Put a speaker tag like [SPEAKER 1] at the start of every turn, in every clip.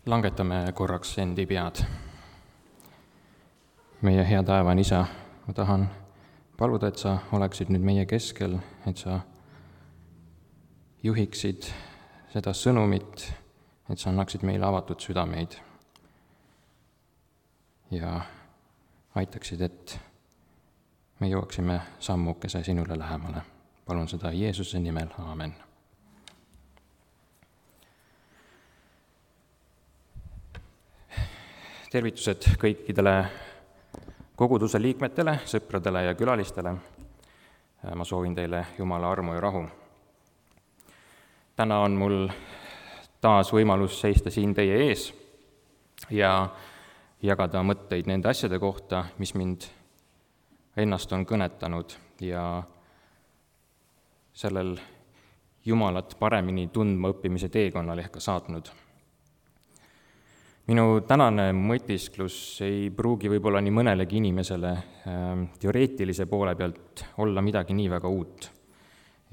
[SPEAKER 1] Langetame korraks endi pead. Meie hea taevane Isa, ma tahan paluda, et sa oleksid nüüd meie keskel, et sa juhiksid seda sõnumit, et sa annaksid meile avatud südameid ja aitaksid, et me jõuaksime sammukese sinule lähemale. Palun seda Jeesuse nimel, aamen. Tervitused kõikidele koguduse liikmetele, sõpradele ja külalistele. Ma soovin teile Jumala armu ja rahu. Täna on mul taas võimalus seista siin teie ees ja jagada mõtteid nende asjade kohta, mis mind ennast on kõnetanud ja sellel Jumalat paremini tundma õppimise teekonnal ehk ka saatnud. Minu tänane mõtisklus ei pruugi võib-olla nii mõnelegi inimesele teoreetilise poole pealt olla midagi nii väga uut.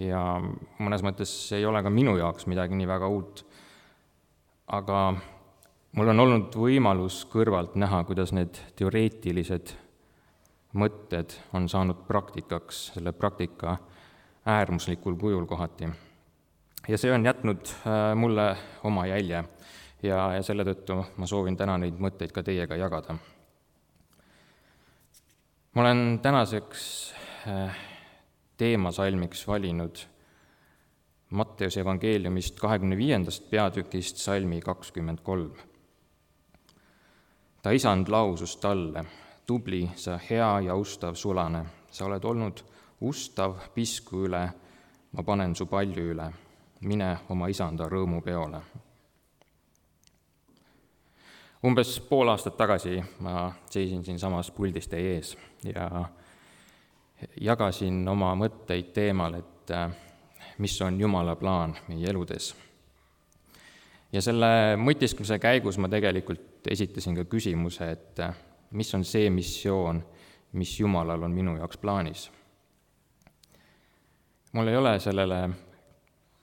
[SPEAKER 1] Ja mõnes mõttes ei ole ka minu jaoks midagi nii väga uut. Aga mul on olnud võimalus kõrvalt näha, kuidas need teoreetilised mõtted on saanud praktikaks, selle praktika äärmuslikul kujul kohati. Ja see on jätnud mulle oma jälje. Ja selle tõttu ma soovin täna neid mõtteid ka teiega jagada. Ma olen tänaseks teemasalmiks valinud Matteuse evangeeliumist 25. peatükist salmi 23. Ta isand lausus talle: tubli, sa hea ja ustav sulane, sa oled olnud ustav pisku üle, ma panen su palju üle, mine oma isanda rõõmupeole. Umbes pool aastat tagasi ma seisin siin samas puldis teie ees ja jagasin oma mõtteid teemal, et mis on Jumala plaan meie eludes. Ja selle mõtiskluse käigus ma tegelikult esitasin ka küsimuse, et mis on see missioon, mis Jumalal on minu jaoks plaanis. Mul ei ole sellele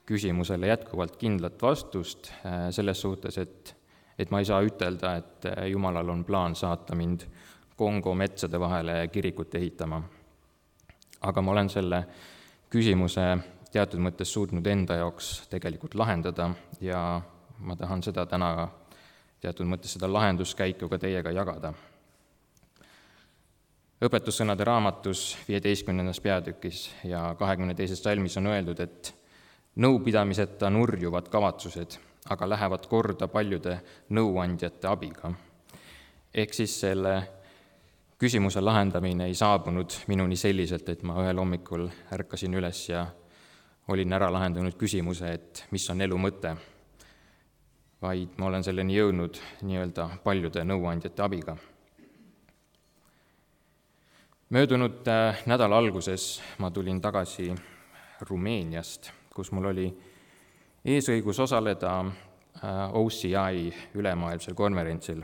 [SPEAKER 1] küsimusele jätkuvalt kindlat vastust selles suhtes, et ma ei saa ütelda, et Jumalal on plaan saata mind Kongo metsade vahele kirikut ehitama. Aga ma olen selle küsimuse teatud mõttes suutnud enda jaoks tegelikult lahendada ja ma tahan seda täna teatud mõttes seda lahenduskäiku ka teiega jagada. Õpetussõnade raamatus 15. peatükis ja 22. salmis on öeldud, et nõupidamiseta nurjuvad kavatsused, aga lähevad korda paljude nõuandjate abiga. Ehk siis selle küsimuse lahendamine ei saabunud minuni selliselt, et ma ühel hommikul ärkasin üles ja olin ära lahendanud küsimuse, et mis on elu mõte, vaid ma olen selleni jõudnud nii-öelda paljude nõuandjate abiga. Möödunud nädala alguses ma tulin tagasi Rumeeniast, kus mul oli eesõigus osaleda OCI ülemaailmsel konverentsil.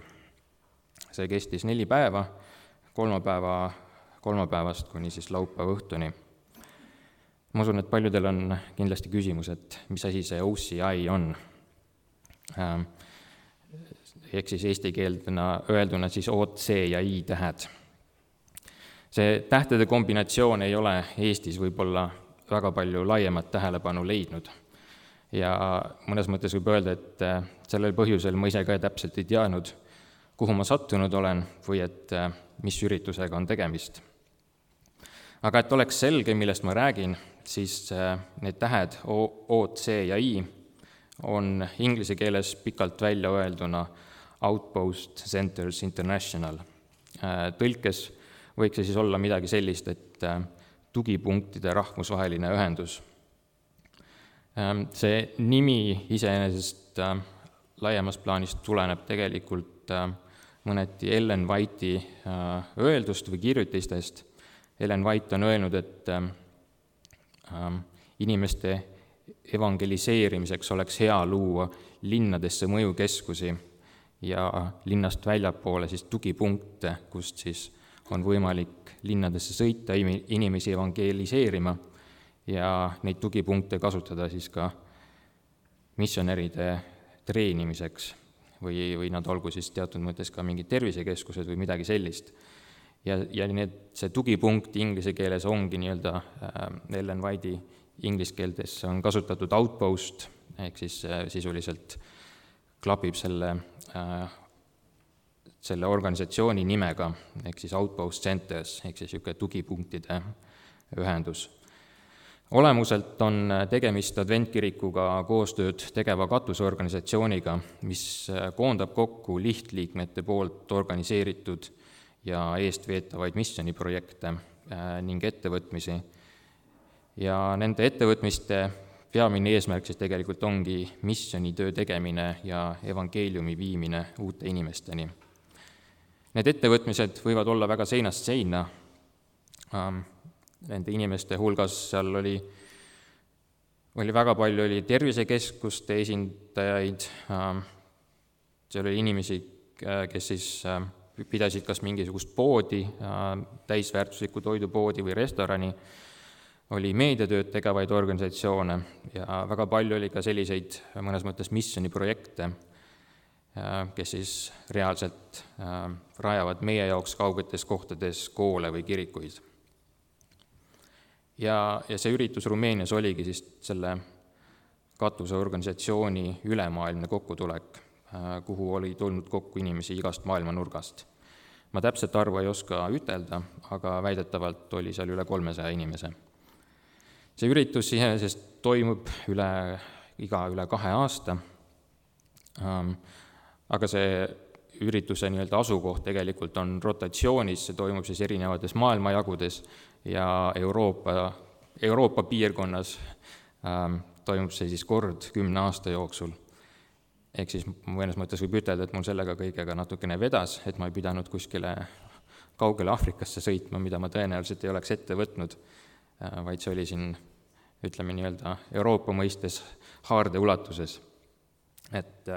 [SPEAKER 1] See kestis 4 päeva, kolmapäevast kuni siis laupäeva õhtuni. Ma usun, et paljudel on kindlasti küsimus, et mis asi see OCI on. Ehk siis eesti keeldena öelduna siis OC ja I tähed. See tähtede kombinatsioon ei ole Eestis võib-olla väga palju laiemat tähelepanu leidnud. Ja mõnes mõttes võib öelda, et sellel põhjusel ma ise ka täpselt ei teadnud, kuhu ma sattunud olen või et mis üritusega on tegemist. Aga et oleks selge, millest ma räägin, siis need tähed O, C ja I on inglise keeles pikalt välja öelduna Outpost Centers International. Tõlkes võiks see siis olla midagi sellist, et tugipunktide rahvusvaheline ühendus. See nimi iseenesest laiemas plaanis tuleneb tegelikult mõneti Ellen White'i öeldust või kirjutistest. Ellen White on öelnud, et inimeste evangeliseerimiseks oleks hea luua linnadesse mõjukeskusi ja linnast väljapoole siis tugipunkte, kust siis on võimalik linnadesse sõita inimesi evangeliseerima ja neid tugipunkte kasutada siis ka missionäride treenimiseks või nad olgu siis teatud mõttes ka mingid tervisekeskused või midagi sellist. Ja see tugipunkt inglise keeles ongi nii-öelda Ellen White'i inglise keeltes on kasutatud outpost, ehk siis sisuliselt klapib selle organisatsiooni nimega, ehk siis outpost centers, ehk siis niisugune tugipunktide ühendus. Olemuselt on tegemist adventkirikuga koostööd tegeva katusorganisatsiooniga, mis koondab kokku lihtliikmete poolt organiseeritud ja eestveetavaid missiooniprojekte ning ettevõtmisi. Ja nende ettevõtmiste peamine eesmärk siis tegelikult ongi missioonitöö tegemine ja evangeeliumi viimine uute inimesteni. Need ettevõtmised võivad olla väga seinast seina. Nende inimeste hulgas seal oli väga palju tervisekeskuste esindajaid, seal oli inimesi, kes siis pidasid kas mingisugust poodi, täisväärtuslikku toidupoodi või restorani, oli meediatööd tegevaid organisatsioone ja väga palju oli ka selliseid mõnes mõttes missiooniprojekte, kes siis reaalselt rajavad meie jaoks kaugetes kohtades koole või kirikuid. Ja see üritus Rumeenias oligi siis selle katuseorganisatsiooni ülemaailmne kokkutulek, kuhu oli tulnud kokku inimesi igast maailma nurgast. Ma täpselt arvu ei oska ütelda, aga väidetavalt oli seal üle 300 inimese. See üritus iseenesest toimub üle 2 aasta, aga see ürituse nii-öelda asukoht tegelikult on rotatsioonis, see toimub siis erinevates maailmajagudes ja Euroopa piirkonnas toimub see siis kord 10 aasta jooksul. Ehk siis mõnes mõttes võib ütelda, et mul sellega kõigega natukene vedas, et ma ei pidanud kuskile kaugele Aafrikasse sõitma, mida ma tõenäoliselt ei oleks ette võtnud, vaid see oli siin, ütleme nii-öelda Euroopa mõistes haarde ulatuses. Et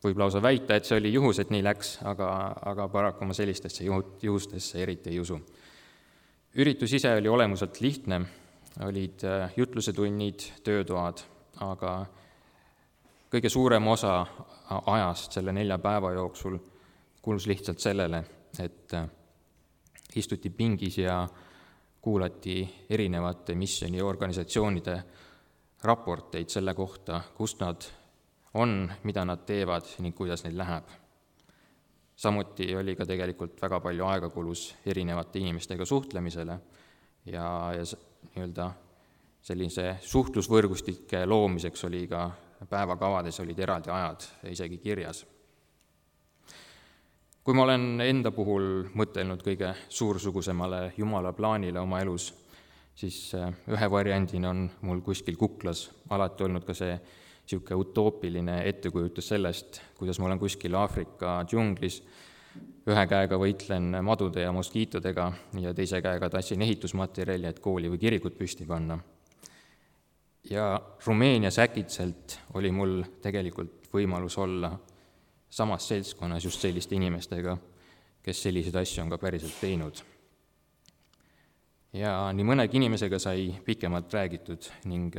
[SPEAKER 1] võib lausa väita, et see oli juhus, et nii läks, aga paraku ma sellistesse juhustesse eriti ei usu. Üritus ise oli olemuselt lihtne, olid jutlusetunnid, töötoad, aga kõige suurem osa ajast selle 4 päeva jooksul kulus lihtsalt sellele, et istuti pingis ja kuulati erinevate missiooniorganisatsioonide raporteid selle kohta, kus nad on, mida nad teevad ning kuidas neil läheb. Samuti oli ka tegelikult väga palju aega kulus erinevate inimestega suhtlemisele ja nii-öelda sellise suhtlusvõrgustike loomiseks oli ka päevakavades olid eraldi ajad isegi kirjas. Kui ma olen enda puhul mõtelnud kõige suursugusemale Jumala plaanile oma elus, siis ühe variandina on mul kuskil kuklas alati olnud ka see niisugune utoopiline ettekujutus sellest, kuidas ma olen kuskil Aafrika džunglis, ühe käega võitlen madude ja moskiitodega ja teise käega tassin ehitusmaterjali, et kooli või kirikut püsti panna. Ja Rumeenias äkitselt oli mul tegelikult võimalus olla samas seltskonnas just selliste inimestega, kes selliseid asju on ka päriselt teinud. Ja nii mõnegi inimesega sai pikemalt räägitud ning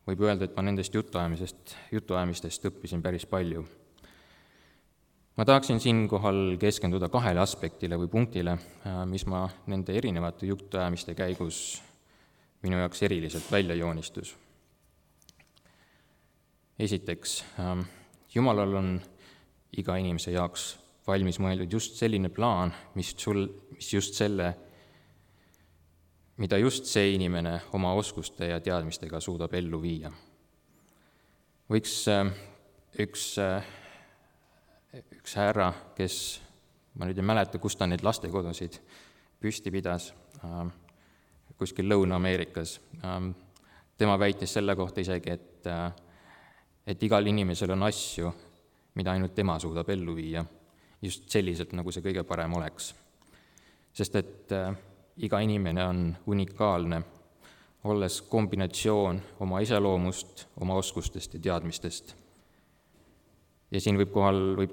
[SPEAKER 1] võib öelda, et ma nendest jutuajamistest õppisin päris palju. Ma tahaksin siinkohal keskenduda 2 aspektile või punktile, mis ma nende erinevate jutuajamiste käigus minu jaoks eriliselt välja joonistus. Esiteks, Jumalal on iga inimese jaoks valmis mõeldud just selline plaan, mida just see inimene oma oskuste ja teadmistega suudab ellu viia. Võiks üks härra, kes, ma nüüd ei mäleta, kus ta neid lastekodusid püsti pidas, kuskil Lõuna-Ameerikas. Tema väitis selle kohta isegi, et igal inimesel on asju, mida ainult tema suudab ellu viia, just selliselt, nagu see kõige parem oleks. Sest et iga inimene on unikaalne, olles kombinatsioon oma iseloomust, oma oskustest ja teadmistest. Ja siin võib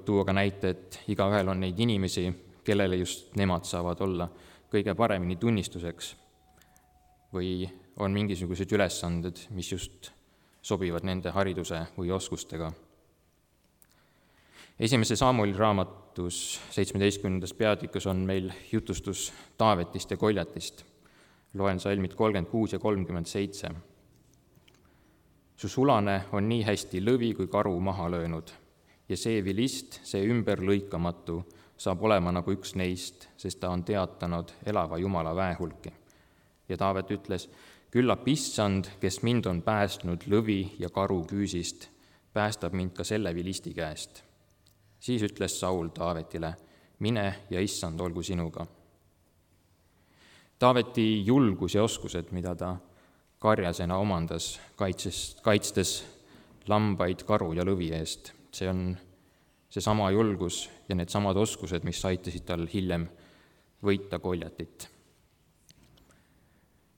[SPEAKER 1] tuua ka näite, et igaühel on neid inimesi, kellele just nemad saavad olla kõige paremini tunnistuseks või on mingisugused ülesanded, mis just sobivad nende hariduse või oskustega. Esimese Samueli raamatus 17. peatükus on meil jutustus Taavetist ja Koljatist. Loen salmid 36 ja 37. Su sulane on nii hästi lõvi kui karu maha löönud ja see vilist, see ümberlõikamatu, saab olema nagu üks neist, sest ta on teatanud elava Jumala väehulki. Ja Taavet ütles, küllap issand, kes mind on päästnud lõvi ja karu küüsist, päästab mind ka selle vilisti käest. Siis ütles Saul Taavetile, mine ja issand olgu sinuga. Taaveti julgus ja oskused, mida ta karjasena omandas, kaitstes lambaid karu ja lõvi eest, see on seesama julgus ja needsamad oskused, mis aitasid tal hiljem võita Koljatit.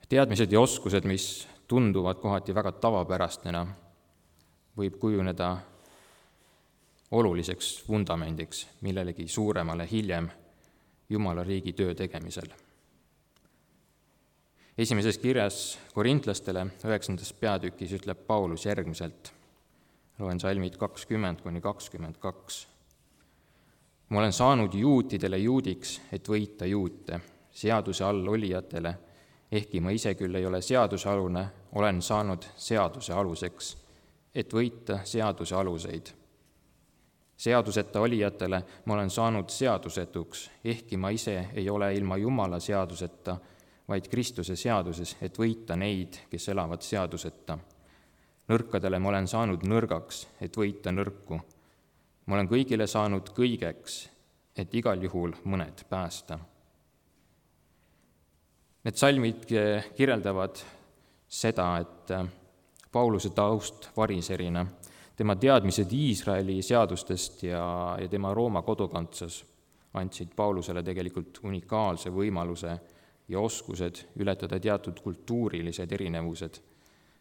[SPEAKER 1] Teadmised ja oskused, mis tunduvad kohati väga tavapärastena, võib kujuneda oluliseks vundamendiks millelegi suuremale hiljem Jumala riigi töö tegemisel. Esimeses kirjas korintlastele 9. peatükis ütleb Paulus järgmiselt, loen salmid 20-22. Ma olen saanud juutidele juudiks, et võita juute, seaduse all olijatele, ehkki ma ise küll ei ole seadusealune, olen saanud seaduse aluseks, et võita seaduse aluseid. Seaduseta olijatele ma olen saanud seadusetuks, ehkki ma ise ei ole ilma Jumala seaduseta, vaid Kristuse seaduses, et võita neid, kes elavad seaduseta. Nõrkadele ma olen saanud nõrgaks, et võita nõrku. Ma olen kõigile saanud kõigeks, et igal juhul mõned päästa. Need salmid kirjeldavad seda, et Pauluse taust variserina, tema teadmised Iisraeli seadustest ja tema Rooma kodakondsus andsid Paulusele tegelikult unikaalse võimaluse ja oskused ületada teatud kultuurilised erinevused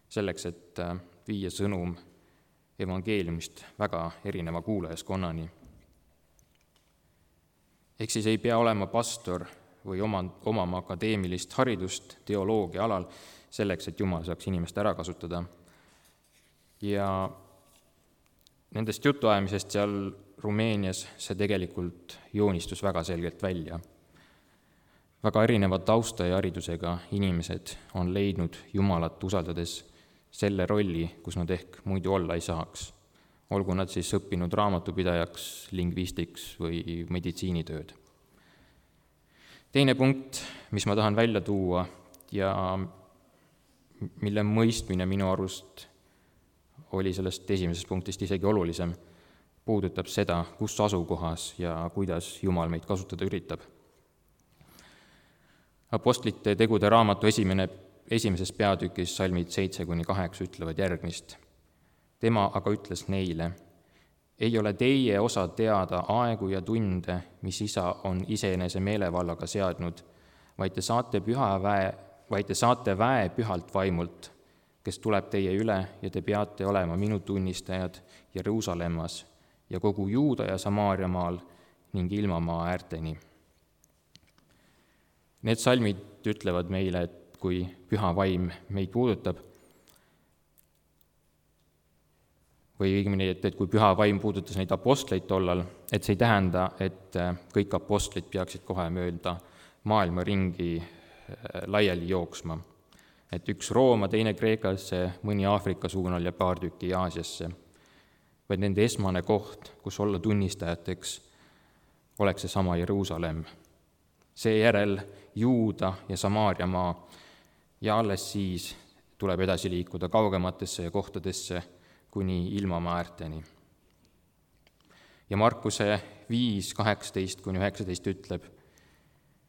[SPEAKER 1] selleks, et viia sõnum evangeeliumist väga erineva kuulajaskonnani. Ehk siis ei pea olema pastor või omama akadeemilist haridust teoloogia alal selleks, et Jumal saaks inimest ära kasutada. Ja nendest jutuajamisest seal Rumeenias see tegelikult joonistus väga selgelt välja. Väga erineva tausta ja haridusega inimesed on leidnud Jumalat usaldades selle rolli, kus nad ehk muidu olla ei saaks. Olgu nad siis õppinud raamatupidajaks, lingvistiks või meditsiinitööd. Teine punkt, mis ma tahan välja tuua ja mille mõistmine minu arust oli sellest esimesest punktist isegi olulisem, puudutab seda, kus asukohas ja kuidas Jumal meid kasutada üritab. Apostlite tegude raamatu esimeses peatükis salmid 7-8 ütlevad järgmist. Tema aga ütles neile, ei ole teie osa teada aegu ja tunde, mis Isa on iseenese meelevallaga seadnud, vaid te saate väe pühalt vaimult, kes tuleb teie üle ja te peate olema minu tunnistajad Jeruusalemmas ja kogu Juuda ja Samaariamaal ning ilmamaa äärteni. Need salmid ütlevad meile, et kui püha vaim meid puudutab, või õigemini, et kui püha vaim puudutas neid apostleid tollal, et see ei tähenda, et kõik apostlid peaksid kohe mööda maailma ringi laiali jooksma. Et üks Rooma, teine Kreekasse, mõni Aafrika suunal ja paar tükki Aasiasse, vaid nende esmane koht, kus olla tunnistajateks, oleks seesama Jeruusalemm. Seejärel Juuda ja Samaariamaa ja alles siis tuleb edasi liikuda kaugematesse ja kohtadesse kuni ilmamaa äärteni. Ja Markuse 5:18-19 ütleb,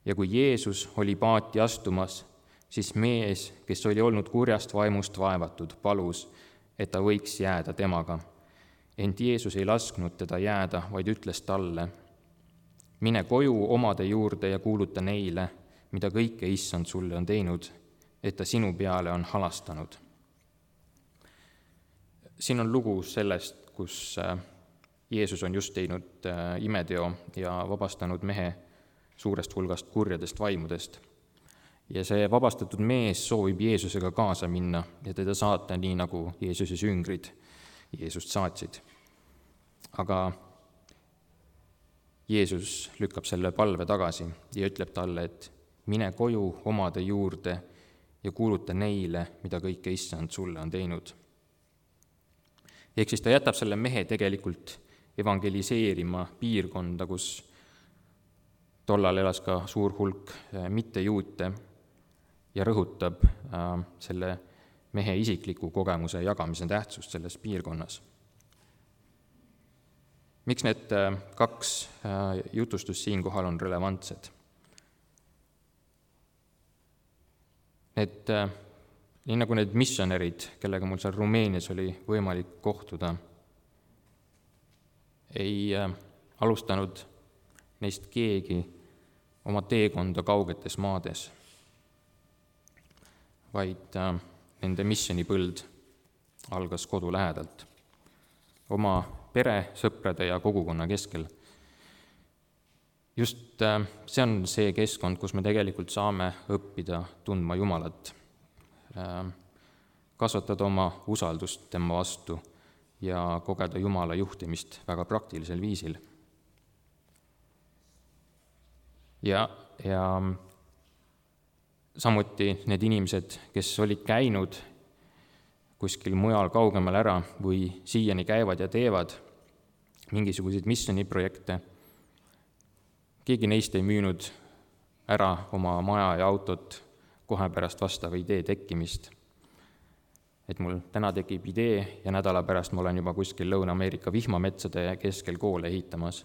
[SPEAKER 1] ja kui Jeesus oli paati astumas, siis mees, kes oli olnud kurjast vaimust vaevatud, palus, et ta võiks jääda temaga. Ent Jeesus ei lasknud teda jääda, vaid ütles talle, mine koju omade juurde ja kuuluta neile, mida kõike issand sulle on teinud, et ta sinu peale on halastanud. Siin on lugu sellest, kus Jeesus on just teinud imeteo ja vabastanud mehe suurest hulgast kurjadest vaimudest. Ja see vabastatud mees soovib Jeesusega kaasa minna ja teda saata nii, nagu Jeesuse jüngrid Jeesust saatsid. Aga Jeesus lükkab selle palve tagasi ja ütleb talle, et mine koju omade juurde ja kuuluta neile, mida kõike Issand sulle on teinud. Ehk siis ta jätab selle mehe tegelikult evangeliseerima piirkonda, kus tollal elas ka suur hulk mittejuute ja rõhutab selle mehe isikliku kogemuse jagamise tähtsust selles piirkonnas. Miks need kaks jutustust siinkohal on relevantsed? Nii nagu need missionärid, kellega mul seal Rumeenias oli võimalik kohtuda, ei alustanud neist keegi oma teekonda kaugetes maades, vaid nende missionipõld algas kodu lähedalt, oma pere, sõprade ja kogukonna keskel. Just see on see keskkond, kus me tegelikult saame õppida tundma Jumalat, kasvatada oma usaldust tema vastu ja kogeda Jumala juhtimist väga praktilisel viisil. Ja samuti need inimesed, kes olid käinud kuskil mujal kaugemal ära või siiani käivad ja teevad mingisuguseid missioniprojekte, keegi neist ei müünud ära oma maja ja autot kohe pärast vastava idee tekkimist. Et mul täna tekib idee ja nädala pärast ma olen juba kuskil Lõuna-Ameerika vihmametsade keskel koole ehitamas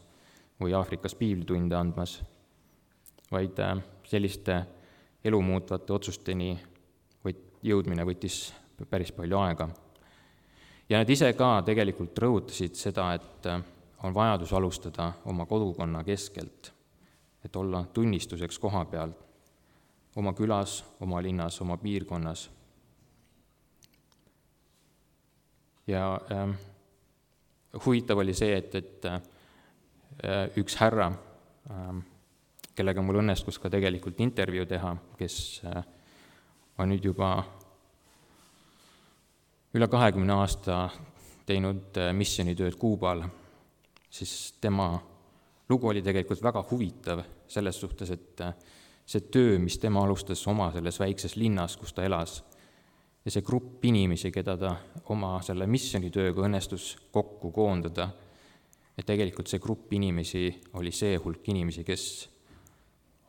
[SPEAKER 1] või Aafrikas piiblitunde andmas, vaid selliste elumuutvate otsusteni jõudmine võttis päris palju aega. Ja nad ise ka tegelikult rõhutasid seda, et on vajadus alustada oma kodukonna keskelt, et olla tunnistuseks koha peal, oma külas, oma linnas, oma piirkonnas. Ja huvitav oli see, et üks härra, kellega mul õnnestus ka tegelikult intervjuu teha, kes on nüüd juba üle 20 aasta teinud missionitööd Kuubal, siis tema lugu oli tegelikult väga huvitav selles suhtes, et see töö, mis tema alustas oma selles väikses linnas, kus ta elas, ja see grupp inimesi, keda ta oma selle missionitööga õnnestus kokku koondada, et tegelikult see grupp inimesi oli see hulk inimesi, kes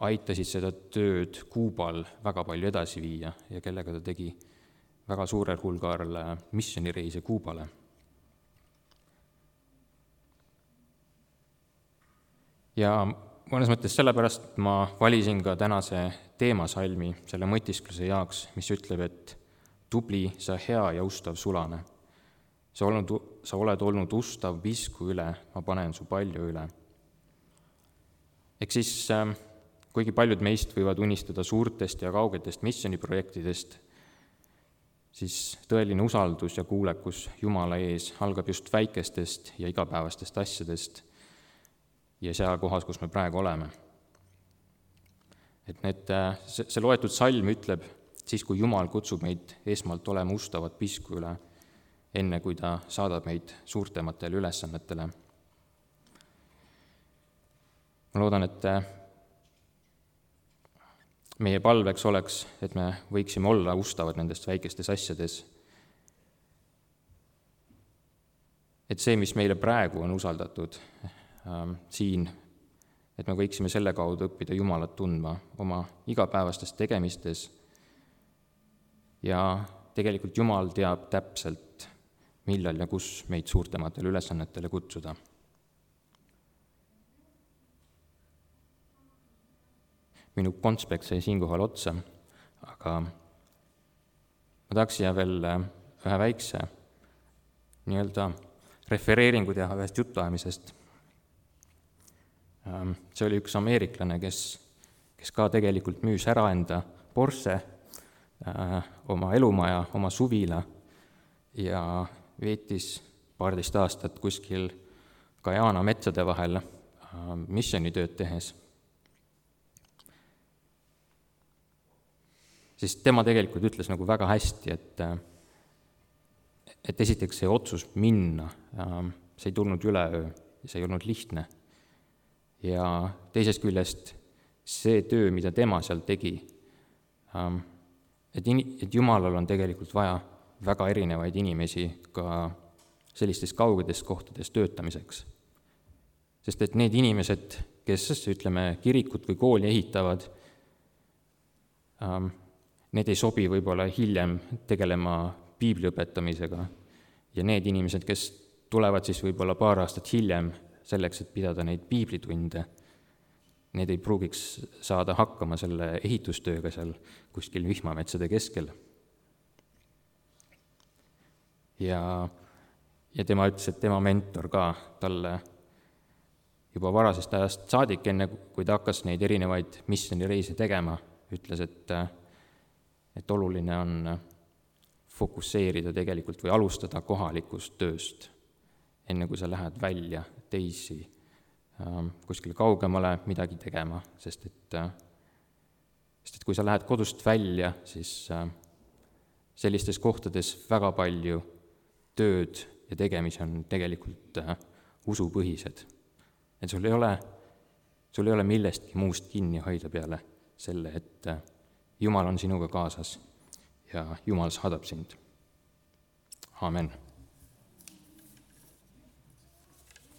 [SPEAKER 1] aitasid seda tööd Kuubal väga palju edasi viia ja kellega ta tegi väga suurel hulgal missionireise Kuubale. Ja mõnes mõttes sellepärast ma valisin ka tänase teemasalmi selle mõtiskluse jaoks, mis ütleb, et tubli, sa hea ja ustav sulane. Sa oled olnud ustav visku üle, ma panen su palju üle. Ehk siis, kuigi paljud meist võivad unistada suurtest ja kaugetest missioniprojektidest, siis tõeline usaldus ja kuulekus Jumala ees algab just väikestest ja igapäevastest asjadest ja seal kohas, kus me praegu oleme. Et see loetud salm ütleb, siis kui Jumal kutsub meid esmalt olema ustavad pisku üle, enne kui ta saadab meid suurtematele ülesannetele. Ma loodan, et meie palveks oleks, et me võiksime olla ustavad nendest väikestes asjades. Et see, mis meile praegu on usaldatud siin, et me võiksime selle kaudu õppida Jumalat tundma oma igapäevastes tegemistes ja tegelikult Jumal teab täpselt, millal ja kus meid suurtematele ülesannetele kutsuda. Minu konspekt sai siinkohal otsa, aga ma tahaks siia veel ühe väikse refereeringu teha ühest jutuajamisest. See oli üks ameeriklane, kes ka tegelikult müüs ära enda Porsche, oma elumaja, oma suvila ja veetis 12 aastat kuskil Guyana metsade vahel missionitööd tehes. Siis tema tegelikult ütles nagu väga hästi, et esiteks see otsus minna, see ei tulnud üleöö ja see ei olnud lihtne. ja teisest küljest see töö, mida tema seal tegi, et Jumalal on tegelikult vaja väga erinevaid inimesi ka sellistes kaugetes kohtades töötamiseks. Sest et need inimesed, kes, ütleme, kirikut või kooli ehitavad, need ei sobi võib-olla hiljem tegelema piibli õpetamisega ja need inimesed, kes tulevad siis võib-olla paar aastat hiljem selleks, et pidada neid piiblitunde, need ei pruugiks saada hakkama selle ehitustööga seal kuskil vihmametsade keskel. Ja tema ütles, et tema mentor ka talle juba varasest ajast saadik, enne kui ta hakkas neid erinevaid missioonireise tegema, ütles, et oluline on fokusseerida tegelikult või alustada kohalikust tööst, enne kui sa lähed välja teisi kuskile kaugemale midagi tegema, sest et kui sa lähed kodust välja, siis sellistes kohtades väga palju tööd ja tegemisi on tegelikult usupõhised. Et sul ei ole millestki muust kinni hoida peale selle, et Jumal on sinuga kaasas ja Jumal saadab sind. Aamen.